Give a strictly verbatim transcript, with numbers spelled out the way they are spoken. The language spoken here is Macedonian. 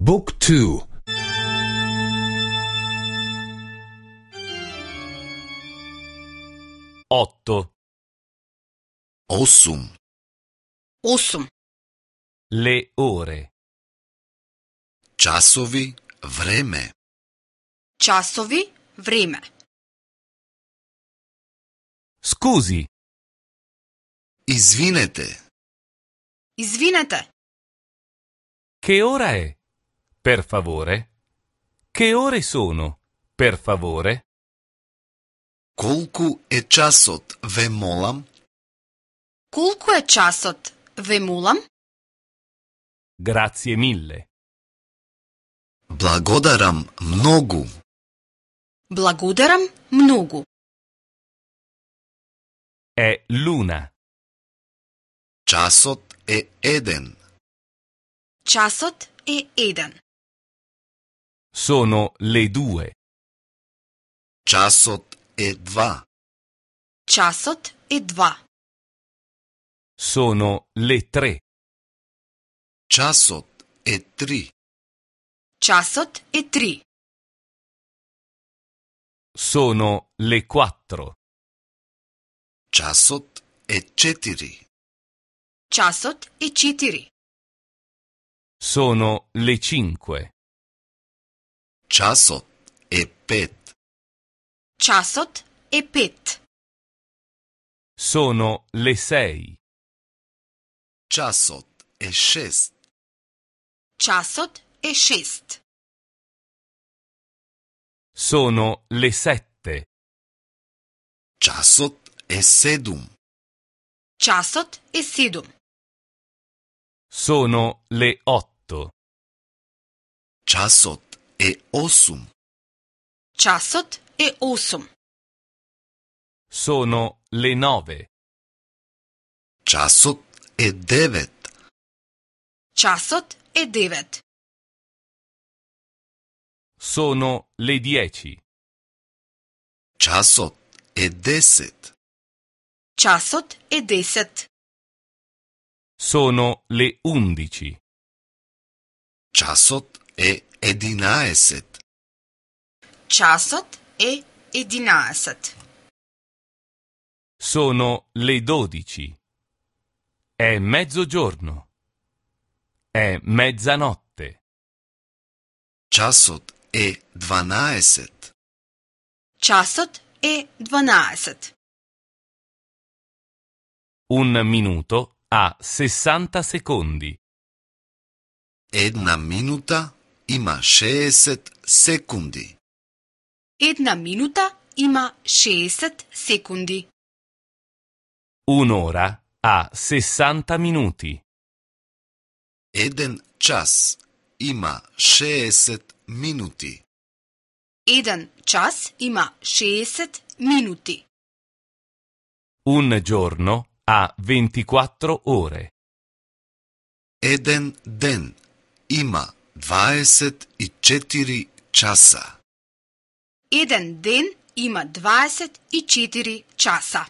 Book two. Otto. Осум. Осум. Le ore. Часови, време. Часови, време. Scusi, Извинете. Извинете, che ora è? Per favore? Che ore sono? Per favore? Колку е часот, ве молам? колку е часот, ве молам? Grazie mille. Благодарам многу. Благодарам многу. È l'una. Часот е еден. Часот е еден. Sono le due. Часот е два. Часот е два. Sono le tre. Часот е три. Часот е три. Sono le quattro. Часот е четири. Часот е четири. Sono le cinque. Часот е пет. Часот е пет. Sono le sei. Часот е шест. Часот е шест. Sono le sette. Часот е седум. Часот е седум. Sono le otto. Часот е осум. Часот е осум. Sono le nove. Часот е девет. Часот е девет. Sono le dieci. Часот е десет. Часот е десет. Sono le undici. Часот е единаесет. Часот е единаесет. Sono le dodici. È mezzogiorno. È mezzanotte. Часот е дванаесет. Часот е дванаесет. Un minuto ha sessanta secondi. Една минута има шеесет секунди. Една минута има шеесет секунди. Un'ora ha sessanta minuti. Еден час има шеесет минути. Еден час има шеесет минути. Un giorno ha ventiquattro ore. Еден ден има дваесет и четири часа. Еден ден има дваесет и четири часа.